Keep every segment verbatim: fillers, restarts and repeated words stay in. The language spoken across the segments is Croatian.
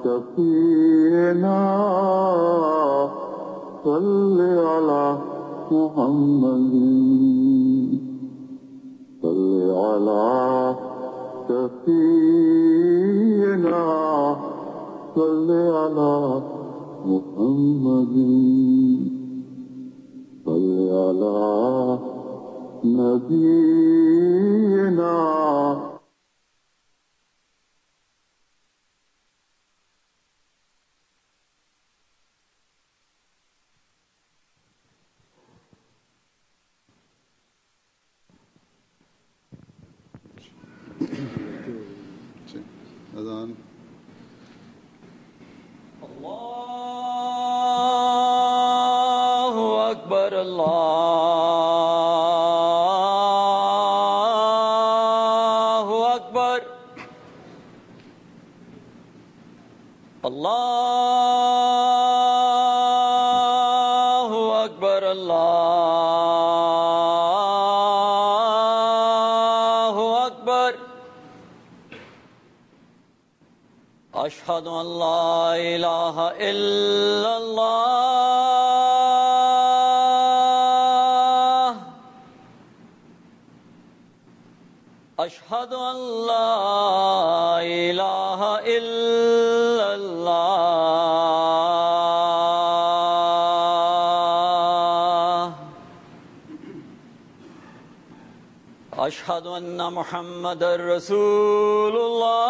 شفيعنا صل على محمد صل على شفيعنا صل على محمد صل على نبينا अज़ान अल्लाहु अकबर अल्लाहु अकबर अल्लाहु अकबर अल्लाहु अकबर अशहदु अन ला इलाहा इल्लल्लाह अशहदु अन ला इलाहा इल्लल्लाह अशहदु अन्ना मुहम्मदर रसूलुल्लाह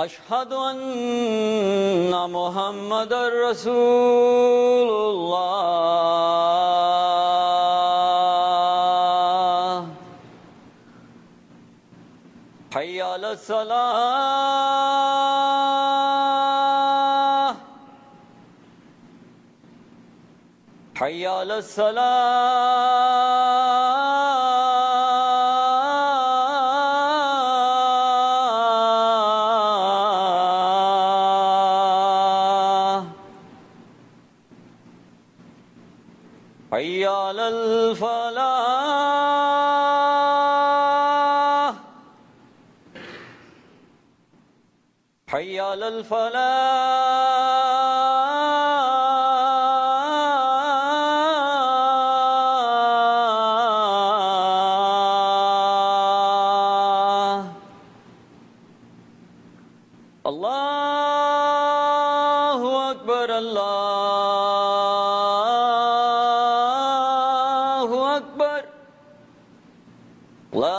अशहदु अन्ना मुहम्मदर रसूलुल्लाह हय्या अलस सलाह हय्या अलस सलाह हय्या अलल फलाह हय्या अलल फलाह अल्लाहु अकबर अल्लाहु अकबर ला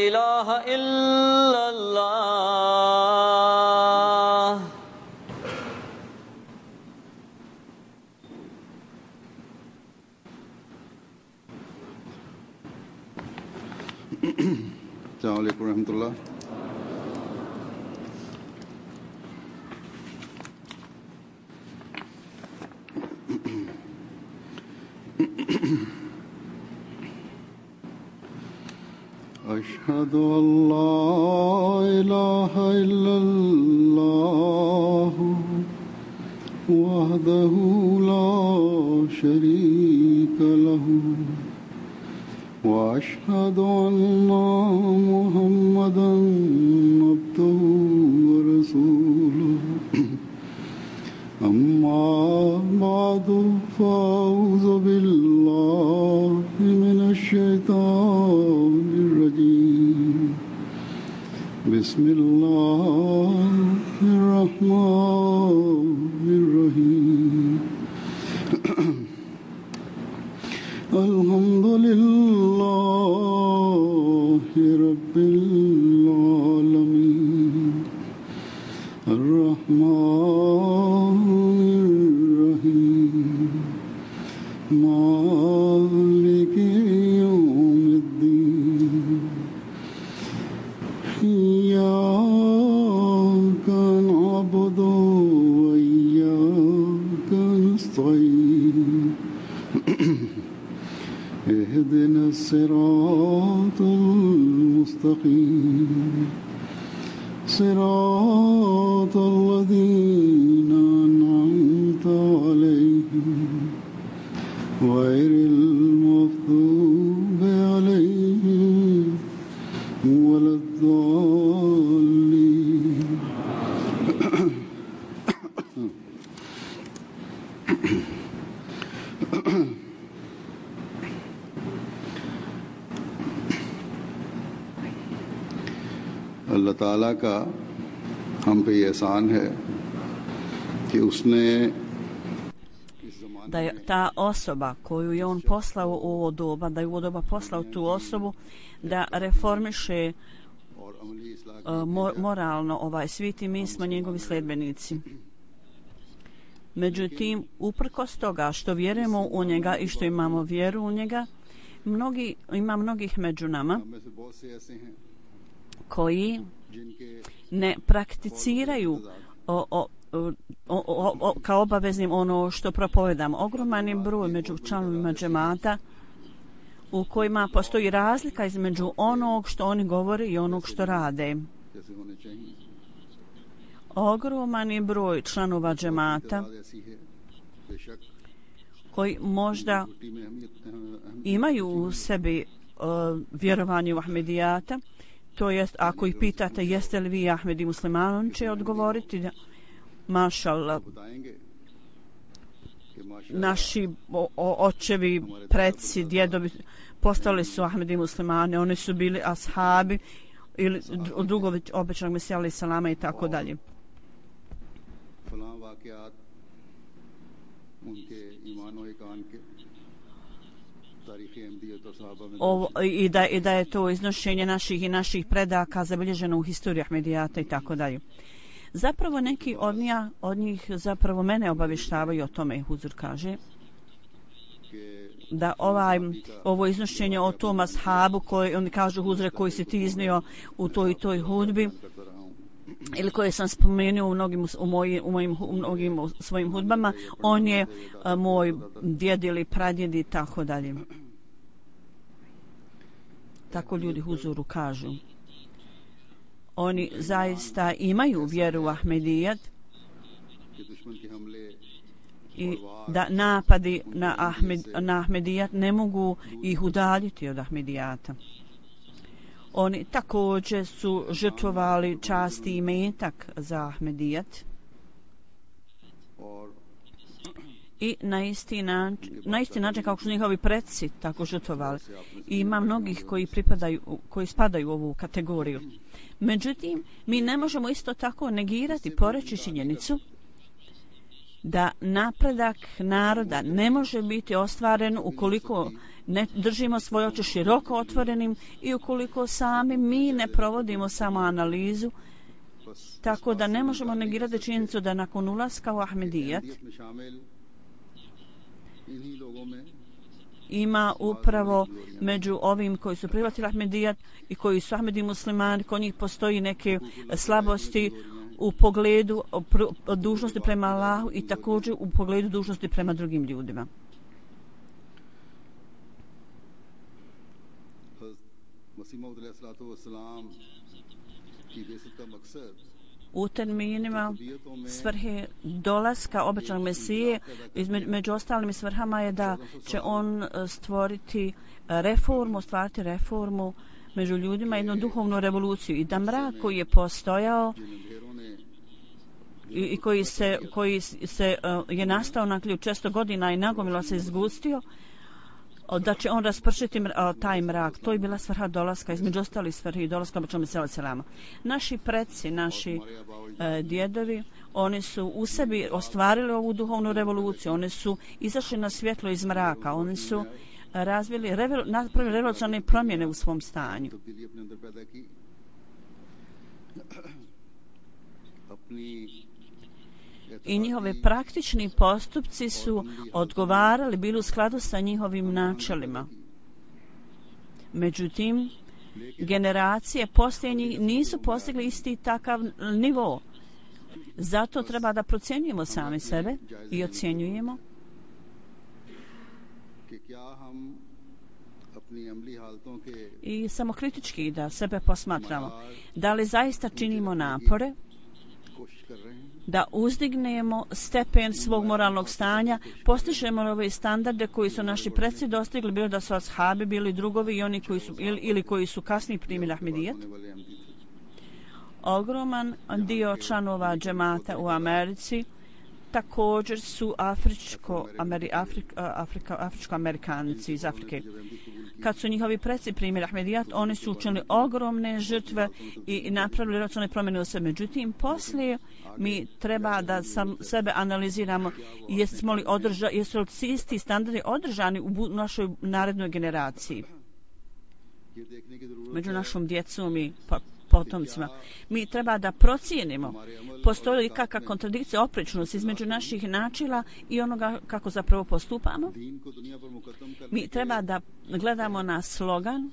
इलाहा इल्लल्लाह अस्सलामु अलैकुम रहमतुल्लाह। अशहदु अल्ला इलाहा इल्लल्लाह वहदहु ला शरीक लहु व अशहदु अन्ना मुहम्मदन अब्दुहु व रसूलुहु अम्मा बादु फ़अऊज़ु बिल्लाहि मिनश शैतानिर रजीम बिस्मिल्लाहिर रहमानिर रहीम अल्हम्दुलिल्लाहि रब्बिल आलमीन अर्रहमानिर रहीम मालिकि यौमिद्दीन इय्याका नअबुदु व इय्याका नस्तईन اهدنا الصراط المستقيم صراط الذين أنعمت عليهم غير المغضوب عليهم अल्लाह ताला का हम पे ये एहसान है कि उसने da je ta osoba koju je on poslao u ovo doba, da je u ovo doba poslao tu osobu da reformiše uh, mo, moralno ovaj svijet i mi smo njegovi sledbenici. Međutim, uprkos toga što vjerujemo u njega i što imamo vjeru u njega, mnogi, ima mnogih među nama koji ne prakticiraju o, o, o, o, o, kao obaveznim ono što propovedamo. Ogroman je broj među članovima džemata u kojima postoji razlika između onog što oni govore i onog što rade. Ogroman je broj članova džemata koji možda imaju u sebi uh, vjerovanje u Ahmedijata, to jest ako ih pitate jeste li vi Ahmedi musliman, on će odgovoriti da mašallah, naši o, o, očevi, preci, djedovi postali su Ahmedi muslimani, oni su bili ashabi ili drugovi obećanog Mesija alejhi selama i tako dalje. Ovo, i, da, i da je to iznošenje naših i naših predaka zabilježeno u historiji Ahmedijata i tako dalje. Zapravo neki od, nja, od njih zapravo mene obavještavaju o tome. Huzur kaže da ovaj, ovo iznošenje o tom ashabu koji oni kažu Huzre koji si ti iznio u toj i toj hudbi ili koje sam spomenuo u mnogim, u moji, u mojim, u mnogim svojim hudbama, on je a, moj djed ili pradjed i tako dalje. Tako ljudi Huzuru kažu. Oni zaista imaju vjeru u Ahmedijat i da napadi na, Ahmed, na Ahmedijat ne mogu ih udaljiti od Ahmedijata. Oni također su žrtvovali časti i metak za Ahmedijat i na isti način, na isti način kao što su njihovi preci tako žrtvovali. I ima mnogih koji pripadaju, koji spadaju u ovu kategoriju. Međutim, mi ne možemo isto tako negirati, poreći činjenicu da napredak naroda ne može biti ostvaren ukoliko ne držimo svoje oči široko otvorenim i ukoliko sami mi ne provodimo samo analizu, tako da ne možemo negirati činjenicu da nakon ulaska u Ahmedijat ima upravo među ovim koji su prihvatili Ahmedijat i koji su Ahmedi muslimani, kod njih postoji neke slabosti u pogledu dužnosti prema Allahu i također u pogledu dužnosti prema drugim ljudima. U terminima svrhe dolaska obećanog Mesije, među ostalim svrhama je da će on stvoriti reformu, stvariti reformu među ljudima, jednu duhovnu revoluciju i da mrak koji je postojao i, i koji se, koji se uh, je nastao nakon često godina i nagomilo se izgustio, da će on raspršiti taj mrak. To je bila svrha dolaska, između ostalih svrhi dolaska obećanog Mesija alejhi selama. Naši preci, naši e, djedovi, oni su u sebi ostvarili ovu duhovnu revoluciju, oni su izašli na svjetlo iz mraka, oni su razvili, revol, napravili revolucionarne promjene u svom stanju. I njihovi praktični postupci su odgovarali, bili u skladu sa njihovim načelima. Međutim, generacije poslije njih nisu postigli isti takav nivo. Zato treba da procjenjujemo sami sebe i ocjenjujemo i samokritički da sebe posmatramo. Da li zaista činimo napore da uzdignemo stepen svog moralnog stanja, postižemo ove standarde koji su naši preci dostigli, bilo da su ashabi, bili drugovi i oni koji su, ili, ili koji su kasnije primili Ahmedijat. Ogroman dio članova džemata u Americi također su afričko, Ameri, Afrik, Afrika, afričko-amerikanci iz Afrike. Kad su njihovi preci primjer Ahmedijat, oni su učinili ogromne žrtve i napravili račune promjene u sebi. Međutim, poslije mi treba da sam sebe analiziramo jesmo li održa, jesu li isti standardi održani u našoj narednoj generaciji. Među našom djecom i potomcima. Mi treba da procijenimo postoji li kakva kontradikcija, oprečnost između naših načela i onoga kako zapravo postupamo. Mi treba da gledamo na slogan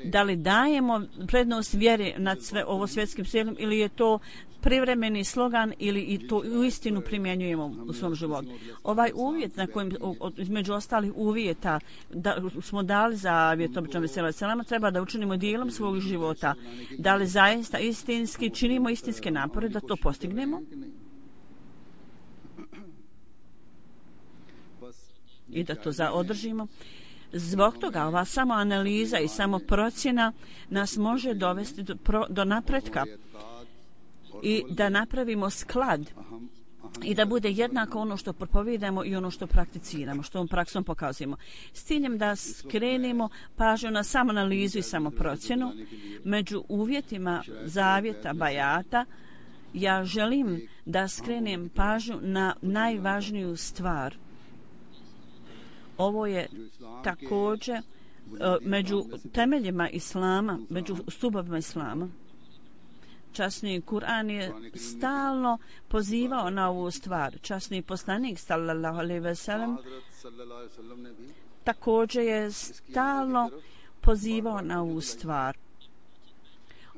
da li dajemo prednost vjeri nad sve ovo svjetskim svijetom ili je to privremeni slogan ili i to u istinu primjenjujemo u svom životu. Ovaj uvjet na kojim između ostalih uvjeta da smo dali zavjet običnom selama treba da učinimo dijelom svog života. Da li zaista istinski činimo istinske napore da to postignemo? I da to zaodržimo. Zbog toga ova samo analiza i samo procjena nas može dovesti do, pro, do napretka i da napravimo sklad i da bude jednako ono što propovijedamo i ono što prakticiramo, što ovom praksom pokazujemo. S ciljem da skrenemo pažnju na samoanalizu i samoprocjenu među uvjetima zavjeta bajata, ja želim da skrenem pažnju na najvažniju stvar. Ovo je također među temeljima islama, među stubovima islama. Časni Kur'an je stalno pozivao na ovu stvar. Časni poslanik sallallahu alejhi ve sellem također je stalno pozivao na ovu stvar.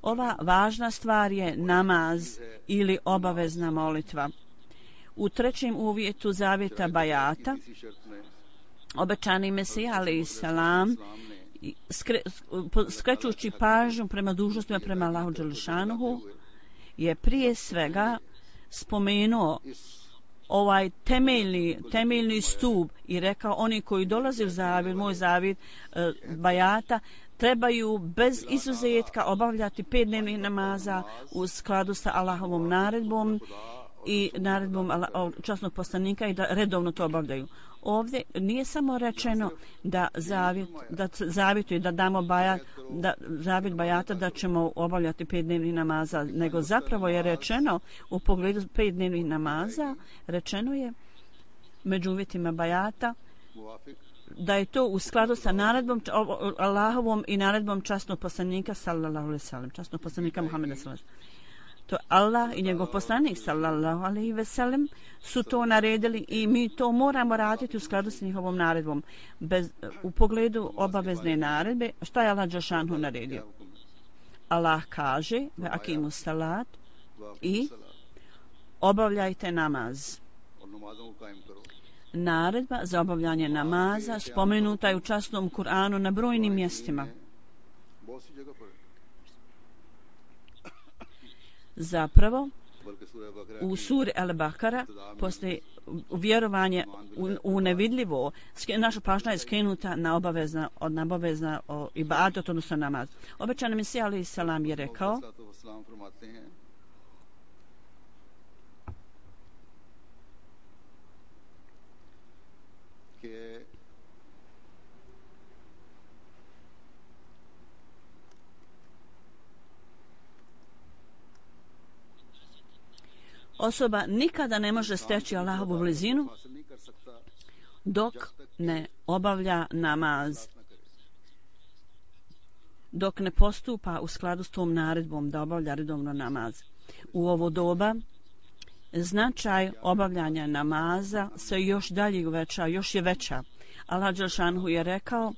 Ova važna stvar je namaz ili obavezna molitva. U trećem uvjetu zavjeta bajata obećani Mesija alejhi salam skre, skrećući pažnju prema dužnostima prema Allahu dželešanuhu je prije svega spomenuo ovaj temeljni, temeljni stup i rekao oni koji dolaze u zavjet, moj zavjet e, bajata trebaju bez izuzetka obavljati pet dnevnih namaza u skladu sa Allahovom naredbom i naredbom časnog poslanika i da redovno to obavljaju. Ovdje nije samo rečeno da zavjet, da zavjetuje, da damo bajat, da zavjet bajata da ćemo obavljati pet dnevnih namaza, nego zapravo je rečeno u pogledu pet dnevnih namaza, rečeno je među uvjetima bajata da je to u skladu sa naredbom Allahovom i naredbom časnog poslanika sallallahu alejhi ve sellem, časnog poslanika Muhameda sallallahu alejhi ve sellem. To Allah i njegov poslanik sallallahu alejhi ve sellem su to naredili i mi to moramo raditi u skladu s njihovom naredbom. Bez, u pogledu obavezne naredbe, šta je Allah dželešanu naredio? Allah kaže ve akimu salat i obavljajte namaz. Naredba za obavljanje namaza spomenuta je u časnom Kur'anu na brojnim mjestima. Zapravo, u suri Al-Bakara postoji vjerovanje u, u nevidljivo. Naša pažnja je skrenuta na obavezna, od obavezna ibadet, odnosno namaz. Obećani Mesija alejhi salam je rekao osoba nikada ne može steći Allahovu blizinu dok ne obavlja namaz, dok ne postupa u skladu s tom naredbom da obavlja redovno namaz. U ovo doba značaj obavljanja namaza se još dalje uveća, još je veća. Allah dželešanu je rekao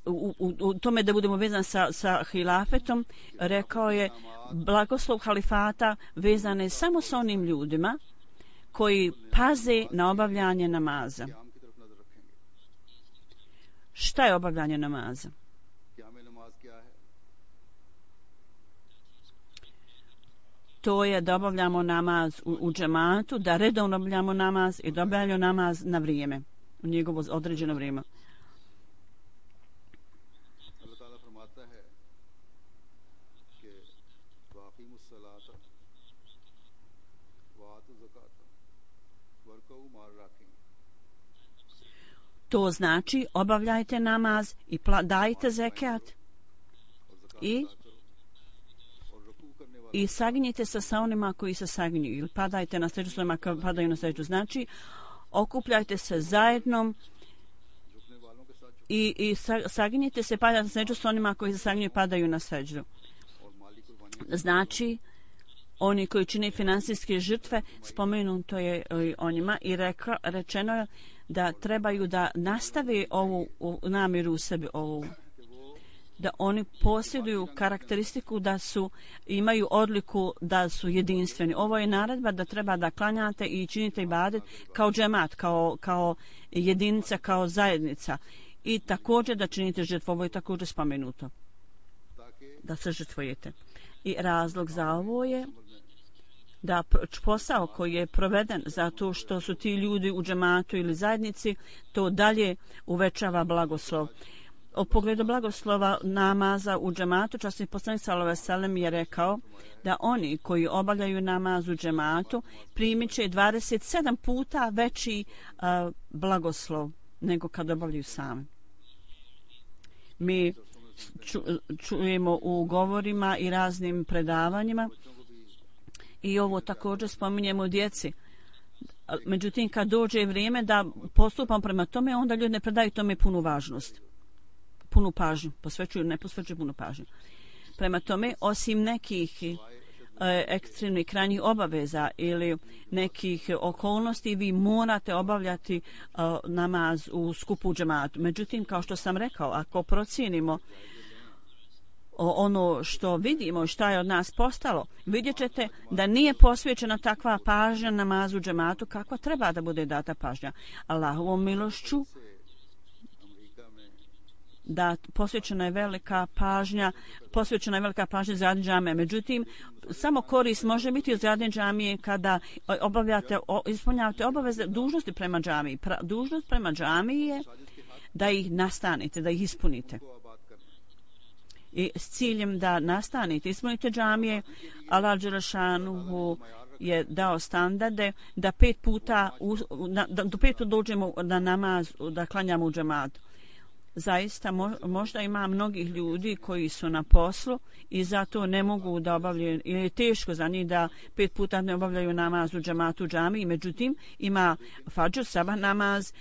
U, u, u tome da budemo vezani sa, sa hilafetom, rekao je blagoslov halifata vezan je samo sa onim ljudima koji paze na obavljanje namaza. Šta je obavljanje namaza? To je da obavljamo namaz u, u džematu, da redovno obavljamo namaz i da obavljamo namaz na vrijeme, u njegovo određeno vrijeme. To znači obavljajte namaz i pla- dajte zekat i i saginjite se sa onima koji se saginju ili padajte na seđu s onima koji padaju na seđu. Znači okupljajte se zajedno i, i saginjite se, padajte na seđu s onima koji se saginju i padaju na seđu. Znači oni koji čine finansijske žrtve, spomenuto je o njima i reka, rečeno je da trebaju da nastave ovu namjeru u sebi, ovu, da oni posjeduju karakteristiku da su, imaju odliku da su jedinstveni. Ovo je naredba da treba da klanjate i činite ibadet kao džemat, kao, kao jedinica, kao zajednica. I također da činite žrtvu, ovo je također spomenuto. Da se žrtvujete. I razlog za ovo je da posao koji je proveden zato što su ti ljudi u džematu ili zajednici, to dalje uvećava blagoslov. U pogledu blagoslova namaza u džematu, časni poslanik sallallahu alejhi ve sellem je rekao da oni koji obavljaju namaz u džematu primit će dvadeset sedam puta veći uh, blagoslov nego kad obavljaju sami. Mi ču, čujemo u govorima i raznim predavanjima i ovo također spominjemo djeci. Međutim, kad dođe vrijeme da postupam prema tome, onda ljudi ne predaju tome punu važnost. Punu pažnju. Posvećuju, ne posvećuju punu pažnju. Prema tome, osim nekih e, ekstremnih krajnjih obaveza ili nekih okolnosti, vi morate obavljati e, namaz u skupu džematu. Međutim, kao što sam rekao, ako procijenimo ono što vidimo, šta je od nas postalo, vidjet ćete da nije posvećena takva pažnja namazu džematu kakva treba da bude data pažnja. Allahovom milošću da posvećena je velika pažnja, posvećena je velika pažnja za džamije. Međutim, samo korist može biti od zadnje džamije kada obavljate, ispunjavate obaveze dužnosti prema džamiji. Pra, dužnost prema džamiji je da ih nastanite, da ih ispunite. I s ciljem da nastanite, ispunite džamije, Allah dželešanuhu je dao standarde da pet puta, da do pet puta dođemo na namaz, da klanjamo u džematu. Zaista možda ima mnogih ljudi koji su na poslu i zato ne mogu da obavljaju, ili je teško za njih da pet puta ne obavljaju namaz u džematu u džamiji. Međutim, ima fadžr, sabah namaz,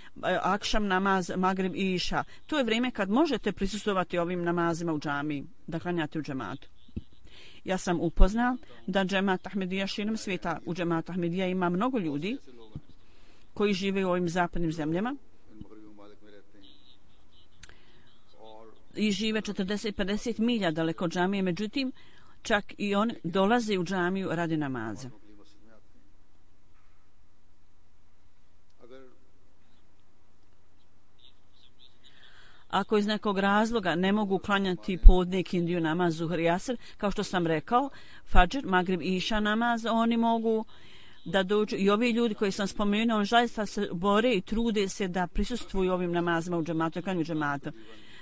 akšam namaz, magrib i iša. To je vrijeme kad možete prisustvovati ovim namazima u džamiji, da klanjate u džematu. Ja sam upoznao da džemat Ahmedija širom svijeta, u džemat Ahmedija ima mnogo ljudi koji žive u ovim zapadnim zemljama i žive četrdeset do pedeset milja daleko od džamije, međutim, čak i on dolaze u džamiju radi namaza. Ako iz nekog razloga ne mogu klanjati podne kindiju namaz, zuhr i asr, kao što sam rekao, fadžr, magrib i iša namaz, oni mogu da dođu. I ovi ljudi koji sam spomenuo, on zaista se bore i trude se da prisustvuju ovim namazima u džematu, klanju džematu.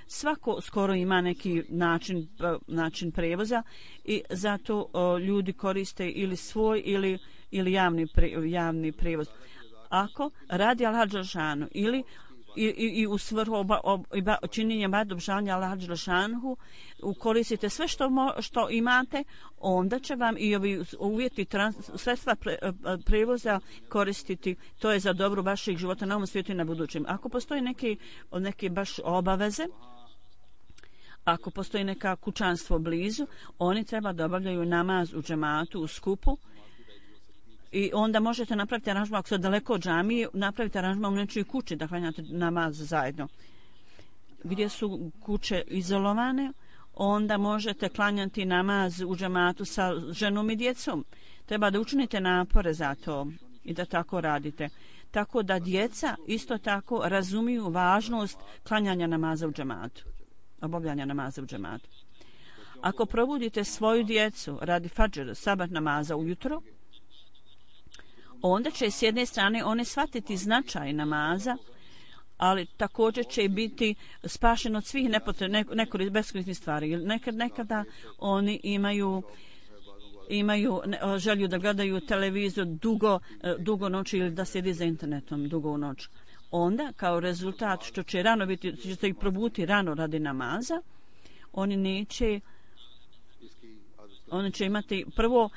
Svako skoro ima neki način, način prevoza i zato o, ljudi koriste ili svoj ili, ili javni, pre, javni prevoz. Ako radi Allah dželešanu ili i, i, i u svrhu oba, oba, činjenja obžavanja Allah dželešanu koristite sve što, mo, što imate, onda će vam i ovi uvjeti trans, sredstva pre, prevoza koristiti. To je za dobro vašeg života na ovom svijetu i na budućem. Ako postoji neke, neke baš obaveze, ako postoji neka kućanstvo blizu, oni treba da obavljaju namaz u džematu, u skupu i onda možete napraviti aranžman, ako ste daleko od džamije, napraviti aranžman u nečoj kući da klanjate namaz zajedno. Gdje su kuće izolovane, onda možete klanjati namaz u džematu sa ženom i djecom. Treba da učinite napore za to i da tako radite. Tako da djeca isto tako razumiju važnost klanjanja namaza u džematu. Obavljanja namaza u džematu. Ako probudite svoju djecu radi fadžr, sabah namaza ujutro, onda će s jedne strane one shvatiti značaj namaza, ali također će biti spašen od svih nekorisnih stvari. Nekad, nekada oni imaju imaju želju da gledaju televizor dugo, dugo noći ili da sjedi za internetom dugo u noć. Onda, kao rezultat što će rano biti, će se ih probuti rano radi namaza, oni neće oni će imati prvo uh,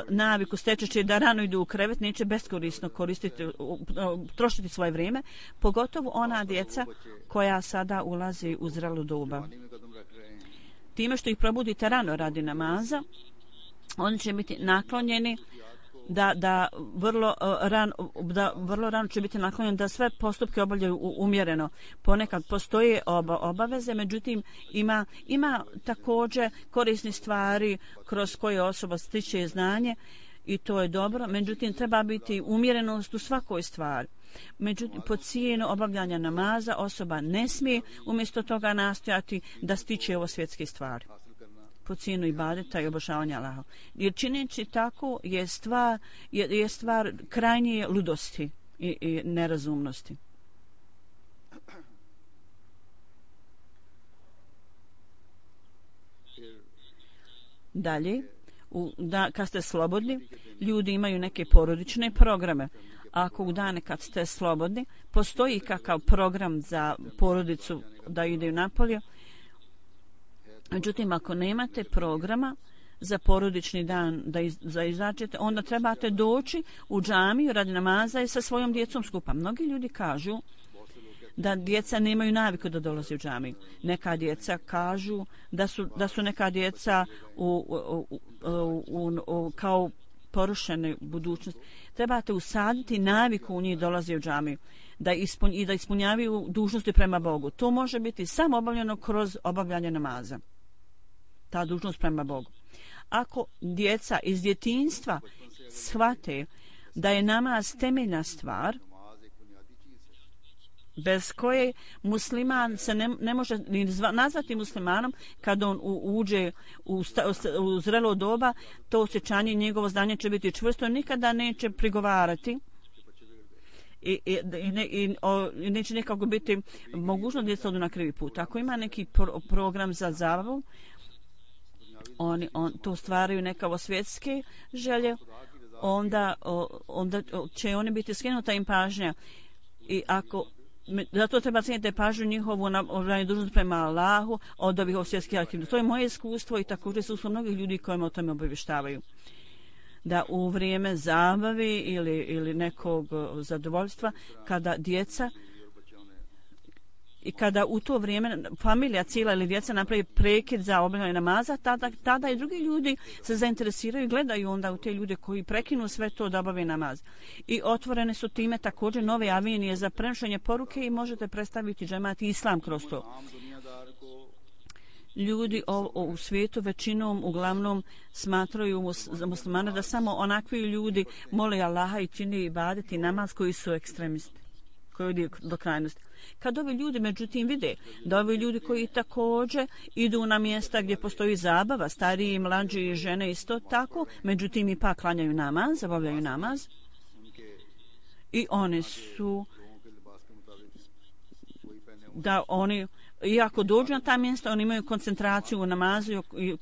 naviku stečeće da rano idu u krevet, neće beskorisno koristiti, uh, uh, trošiti svoje vrijeme, pogotovo ona djeca koja sada ulazi u zrelu doba. Time što ih probudite rano radi namaza, oni će biti naklonjeni da, da, vrlo, uh, ran, da vrlo rano će biti naklonjeni da sve postupke obavljaju umjereno. Ponekad postoje oba, obaveze, međutim ima, ima također korisni stvari kroz koje osoba stiče znanje i to je dobro, međutim treba biti umjerenost u svakoj stvari. Međutim, po cijenu obavljanja namaza osoba ne smije umjesto toga nastojati da stiče ovo svjetske stvari. Po cijenu ibadeta i obožavanja Allaha. Jer čineći tako je stvar, je, je stvar krajnje ludosti i, i nerazumnosti. Dalje, u, da, kad ste slobodni, ljudi imaju neke porodične programe. Ako u dane kad ste slobodni, postoji kakav program za porodicu da ide napolje. Međutim, ako nemate programa za porodični dan da iz, za izađete, onda trebate doći u džamiju radi namaza i sa svojom djecom skupa. Mnogi ljudi kažu da djeca nemaju naviku da dolaze u džamiju. Neka djeca kažu da su, da su neka djeca u, u, u, u, u, kao porušene budućnosti. Trebate usaditi naviku u njih dolaze u džamiju da ispun, i da ispunjavaju dužnosti prema Bogu. To može biti samo obavljeno kroz obavljanje namaza. Ta dužnost prema Bogu. Ako djeca iz djetinjstva shvate da je namaz temeljna stvar, bez koje musliman se ne, ne može ni nazvati muslimanom kad on u, uđe u, sta, u zrelo doba, to osjećanje njegovo znanje će biti čvrsto, nikada neće prigovarati i, i, i, ne, i, o, i neće nekako biti mogućno da djeca odu na krivi put. Ako ima neki pro, program za zabavu, oni on, to stvaraju nekako svjetske želje, onda, o, onda će oni biti skinuta im pažnja i ako zato treba cijeniti pažnju njihovu na dužnost prema Allahu od ovih svjetskih aktivnosti. To je moje iskustvo i također su mnogih ljudi kojima o tome obavještavaju. Da u vrijeme zabave ili, ili nekog zadovoljstva, kada djeca i kada u to vrijeme familija cijela ili djeca napravi prekid za obavljanje namaza, tada, tada i drugi ljudi se zainteresiraju i gledaju onda u te ljude koji prekinu sve to da obave namaz. I otvorene su time također nove avenije za prenošenje poruke i možete predstaviti džemat i islam kroz to. Ljudi o, o, u svijetu većinom uglavnom smatraju mus, za muslimane da samo onakvi ljudi mole Allaha i čini ibadeti namaz koji su ekstremisti, koji idu do krajnosti. Kad ovi ljudi međutim vide da ovi ljudi koji također idu na mjesta gdje postoji zabava, stariji i mlađi i žene isto tako, međutim ipak klanjaju namaz, zabavljaju namaz i oni su da oni iako dođu na ta mjesta, oni imaju koncentraciju u namazu i, i,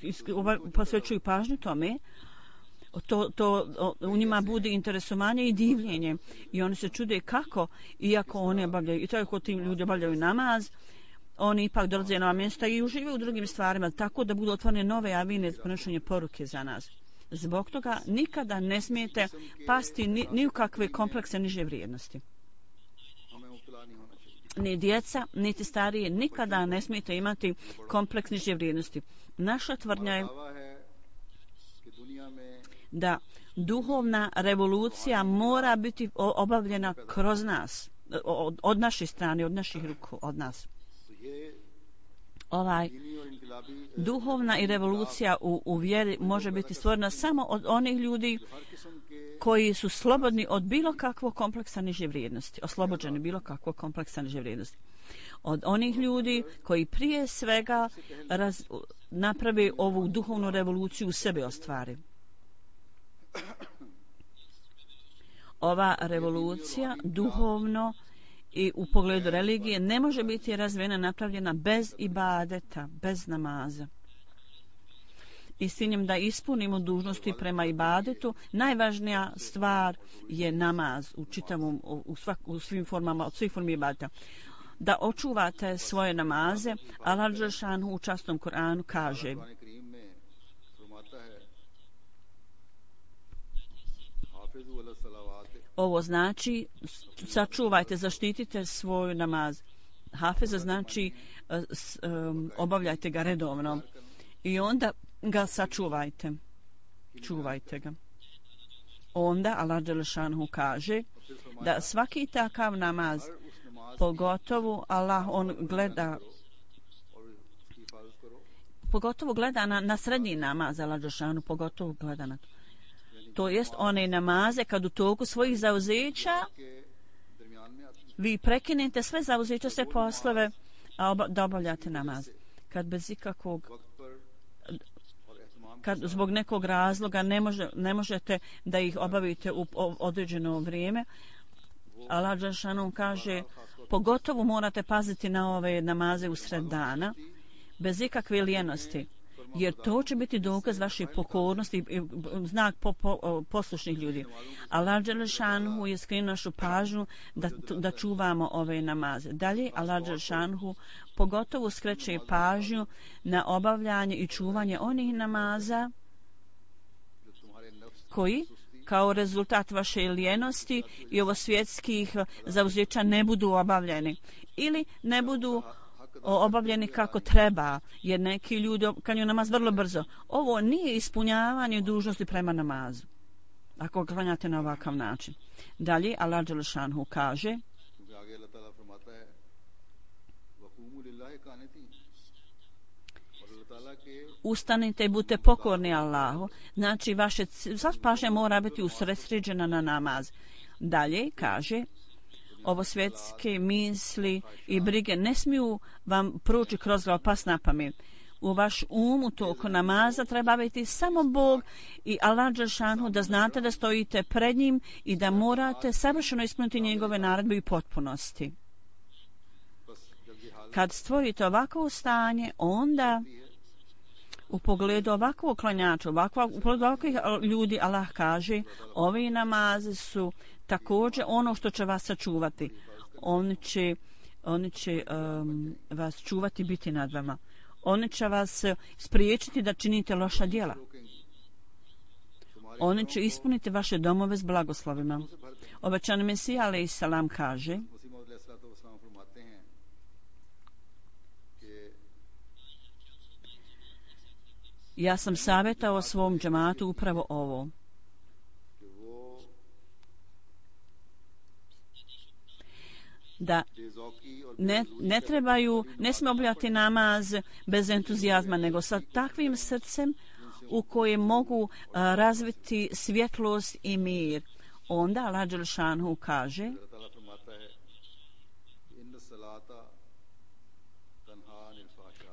i, i posvećuju pažnju tome, to, to u njima bude interesovanje i divljenje i oni se čude kako, iako oni obavljaju, i tako tim ljudi obavljaju namaz, oni ipak dolaze na mjesta i uživaju u drugim stvarima, tako da budu otvorene nove avine za prenošenje poruke za nas. Zbog toga nikada ne smijete pasti ni, ni u kakve komplekse niže vrijednosti. Ni djeca, niti starije, nikada ne smijete imati kompleks niže vrijednosti. Naša tvrdnja je da duhovna revolucija mora biti obavljena kroz nas, od, od naše strane, od naših ruku, od nas. Ovaj duhovna i revolucija u, u vjeri može biti stvorena samo od onih ljudi koji su slobodni od bilo kakvog kompleksa niže vrijednosti, oslobođeni bilo kakvog kompleksa niže vrijednosti. Od onih ljudi koji prije svega raz, naprave ovu duhovnu revoluciju u sebi ostvari. Ova revolucija duhovno i u pogledu religije ne može biti razvijena, napravljena bez ibadeta, bez namaza. i s ciljem da ispunimo dužnosti prema ibadetu, najvažnija stvar je namaz u čitavom, u, svak, u svim formama, od svih formi ibadeta. Da očuvate svoje namaze, Allah dželešanu u časnom Kur'anu kaže: ovo znači sačuvajte, zaštitite svoj namaz. Hafeza znači um, obavljajte ga redovno i onda ga sačuvajte. Čuvajte ga. Onda Allah dželešanu kaže da svaki takav namaz, pogotovo Allah on gleda pogotovo gleda na, na srednji namaz, Allah dželešanu pogotovo gleda na to. To jest one namaze kad u toku svojih zauzeća vi prekinete sve zauzeća, sve poslove, a oba, da obavljate namaz. Kad bez ikakvog kad zbog nekog razloga ne, može, ne možete da ih obavite u određeno vrijeme, Allah dželešanu kaže pogotovo morate paziti na ove namaze usred dana bez ikakve lijenosti, jer to će biti dokaz vaše pokornosti i znak po, po, poslušnih ljudi. Allah dželešanu je skrenuo našu pažnju da, da čuvamo ove namaze. Dalje Allah dželešanu pogotovo skreće pažnju na obavljanje i čuvanje onih namaza koji kao rezultat vaše lijenosti i ovo svjetskih zauzeća ne budu obavljeni ili ne budu obavljeni kako treba, jer neki ljudi klanjaju namaz vrlo brzo. Ovo nije ispunjavanje dužnosti prema namazu ako klanjate na ovakav način. Dalje Allah dželešanu kaže: ustanite i budite pokorni Allahu. Znači vaše sva pažnja mora biti usredsređena na namaz. Dalje kaže: ovo svjetske misli i brige ne smiju vam proći kroz glavu, pas na pamet. U vaš um u toku namaza treba biti samo Bog i Allah dželešanu, da znate da stojite pred njim i da morate savršeno ispuniti njegove naredbe i potpunosti. Kad stvorite ovakvo stanje, onda u pogledu ovakvog klanjača, ovakva, u pogledu ovakvih ljudi, Allah kaže: ovi namazi su također ono što će vas sačuvati. Oni će, oni će um, vas čuvati, biti nad vama. Oni će vas spriječiti da činite loša djela. Oni će ispuniti vaše domove s blagoslovima. Obećani Mesija alejhi selam kaže: ja sam savjetao svom džematu upravo ovo. Da ne, ne trebaju, ne smije obavljati namaz bez entuzijazma, nego sa takvim srcem u kojem mogu a, razviti svjetlost i mir. Onda Allah dželešanu kaže: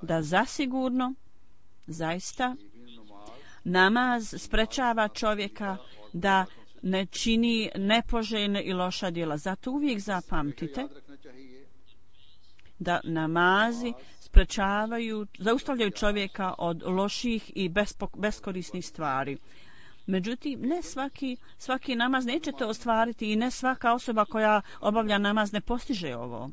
da zasigurno, zaista, namaz sprečava čovjeka da ne čini nepoželjne i loša djela. Zato uvijek zapamtite da namazi sprečavaju, zaustavljaju čovjeka od loših i beskorisnih stvari. Međutim, ne svaki, svaki namaz nećete ostvariti i ne svaka osoba koja obavlja namaz ne postiže ovo.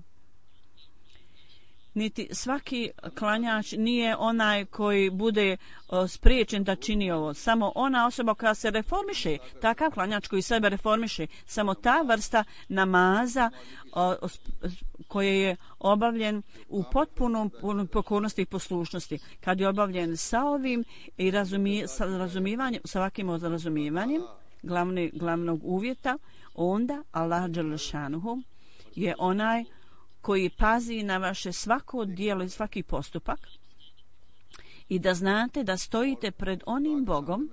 Niti svaki klanjač nije onaj koji bude o, spriječen da čini ovo. Samo ona osoba koja se reformiše, takav klanjač koji sebe reformiše, samo ta vrsta namaza o, o, koje je obavljen u potpunom pokornosti i poslušnosti. Kad je obavljen sa ovim i razumi, sa razumivanjem, sa ovakvim razumivanjem glavni, glavnog uvjeta, onda Allah dželešanuhu je onaj koji pazi na vaše svako djelo i svaki postupak i da znate da stojite pred onim Bogom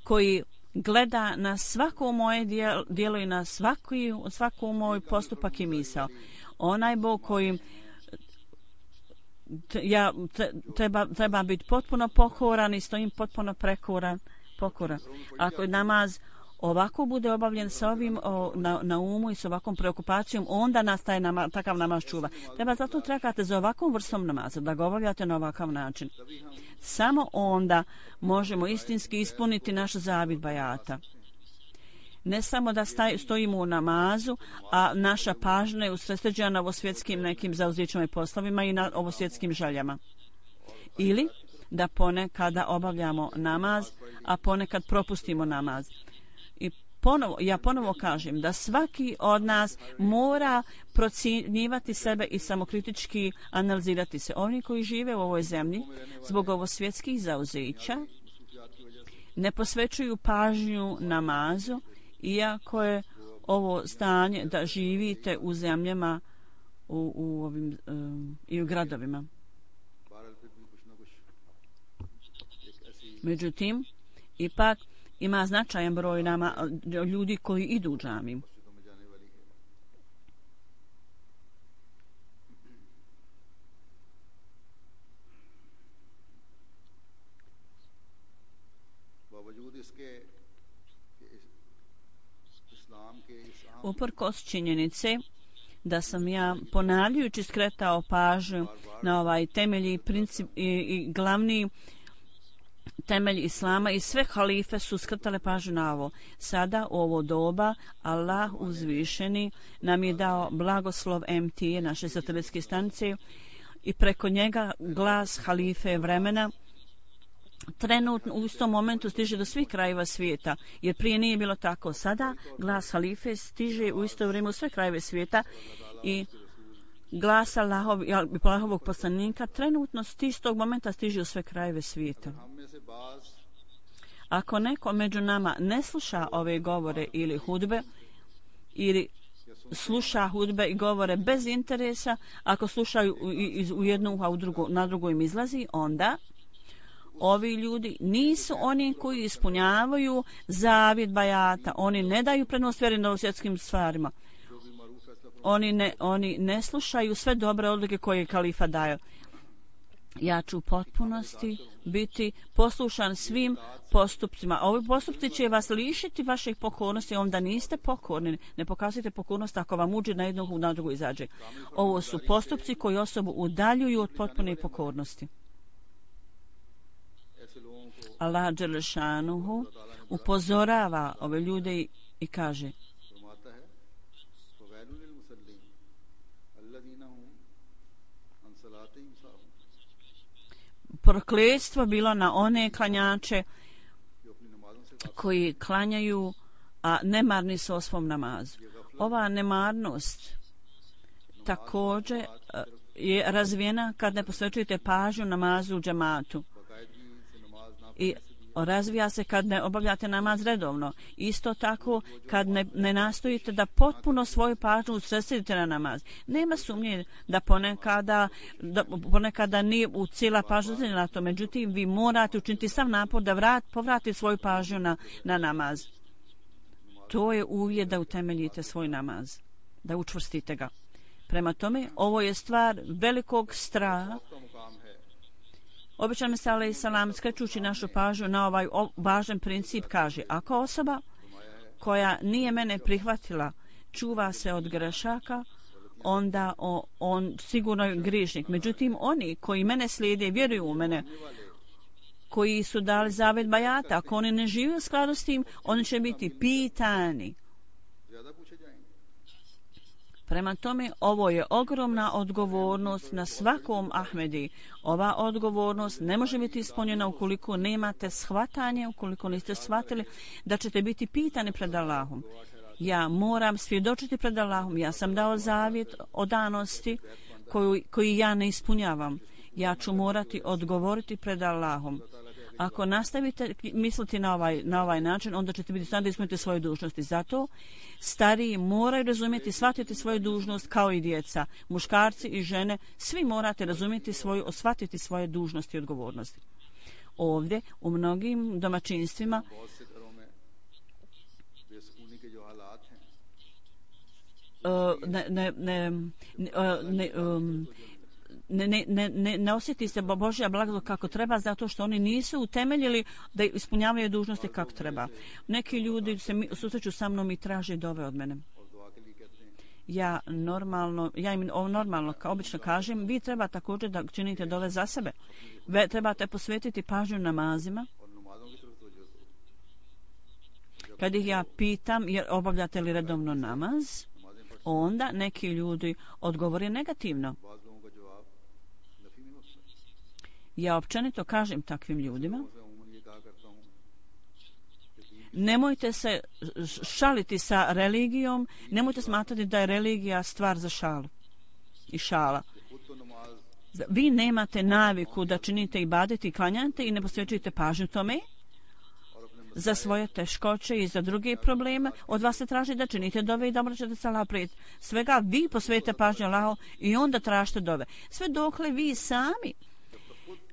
koji gleda na svako moje djelo i na svaki, svako moj postupak i misao. Onaj Bog koji ja treba, treba biti potpuno pokoran i stojim potpuno prekoran, pokoran. Ako je namaz ovako bude obavljen sa ovim o, na, na umu i s ovakvom preokupacijom, onda nastaje nama, takav namaz čuva. Treba zato trakate za ovakvom vrstom namaza, da ga obavljate na ovakav način. Samo onda možemo istinski ispuniti naš zavid bajata. Ne samo da staj, stojimo u namazu, a naša pažnja je usredsređena na ovosvjetskim nekim zauzećima i poslovima i na ovosvjetskim željama. Ili da ponekada obavljamo namaz, a ponekad propustimo namaz. I ponovo, ja ponovo kažem da svaki od nas mora procjenjivati sebe i samokritički analizirati se. Oni koji žive u ovoj zemlji zbog ovosvjetskih zauzeća ne posvećuju pažnju namazu, iako je ovo stanje da živite u zemljama u, u ovim um, i u gradovima. Međutim, ipak ima značajan broj nama ljudi koji idu u džamiju. Uprkos činjenice da sam ja ponavljajući skretao pažnju na ovaj temelji princip i, i glavni temelj islama i sve halife su skretale pažnju na ovo. Sada u ovo doba Allah uzvišeni nam je dao blagoslov M T, naše satelitske stanice, i preko njega glas halife vremena trenutno u istom momentu stiže do svih krajeva svijeta, jer prije nije bilo tako. Sada glas halife stiže u isto vrijeme u sve krajeve svijeta i glas Allahov, Allahovog poslanika trenutno stiže, tog momenta stiže u sve krajeve svijeta. Ako neko među nama ne sluša ove govore ili hudbe, ili sluša hudbe i govore bez interesa, ako slušaju u, u jednu uha, u drugu, na drugu im izlazi, onda ovi ljudi nisu oni koji ispunjavaju zavjet bajata. Oni ne daju prednost vjeri na svjetskim stvarima. Oni ne, oni ne slušaju sve dobre odluke koje kalifa daje. Ja ću u potpunosti biti poslušan svim postupcima. Ovi postupci će vas lišiti vaših pokornosti, onda niste pokorni. Ne pokazujete pokornost ako vam uđe na jednu, na drugu izađe. Ovo su postupci koji osobu udaljuju od potpune pokornosti. Allah dželešanuhu upozorava ove ljude i, i kaže: prokletstvo bilo na one klanjače koji klanjaju, a nemarni su o svom namazu. Ova nemarnost također je razvijena kad ne posvećujete pažnju namazu u džematu. I razvija se kad ne obavljate namaz redovno. Isto tako kad ne, ne nastojite da potpuno svoju pažnju usredsredite na namaz. Nema sumnje da ponekada, da ponekada nije u cijela pažnja na to. Međutim, vi morate učiniti sav napor da vrat, povratite svoju pažnju na, na namaz. To je uvjet da utemeljite svoj namaz, da učvrstite ga. Prema tome, ovo je stvar velikog straha. Običan Mesija alejhi selam, skrećući našu pažnju na ovaj važan princip, kaže: ako osoba koja nije mene prihvatila čuva se od grešaka, onda o, on sigurno je grišnik. Međutim, oni koji mene slijede, vjeruju u mene, koji su dali zavjet bajata, ako oni ne žive u skladu s tim, oni će biti pitani. Prema tome, ovo je ogromna odgovornost na svakom Ahmedi. Ova odgovornost ne može biti ispunjena ukoliko nemate shvatanje, ukoliko niste shvatili da ćete biti pitani pred Allahom. Ja moram svjedočiti pred Allahom. Ja sam dao zavjet o danosti koju, koji ja ne ispunjavam. Ja ću morati odgovoriti pred Allahom. Ako nastavite misliti na ovaj, na ovaj način, onda ćete biti stvarno da ispunite svoje dužnosti. Zato stariji moraju razumjeti, shvatiti svoju dužnost kao i djeca. Muškarci i žene, svi morate razumjeti svoju, shvatiti svoje dužnosti i odgovornosti. Ovdje, u mnogim domaćinstvima, ne, ne, ne, ne, ne um, ne, ne, ne, ne osjeti se Božja blagodat kako treba zato što oni nisu utemeljili da ispunjavaju dužnosti kako treba. Neki ljudi se susreću sa mnom i traže dove od mene. Ja normalno, ja im normalno kao obično kažem, vi treba također da činite dove za sebe. Ve, trebate posvetiti pažnju namazima. Kad ih ja pitam, jer obavljate li redovno namaz, onda neki ljudi odgovore negativno. Ja općenito kažem takvim ljudima, nemojte se šaliti sa religijom, nemojte smatrati da je religija stvar za šalu i šala. Vi nemate naviku da činite ibadete i klanjate i ne posvećujete pažnju tome za svoje teškoće i za druge probleme. Od vas se traži da činite dove i da obraćate se Allahu pred svega. Vi posvetite pažnju Allahu i onda tražite dove. Sve dokle vi sami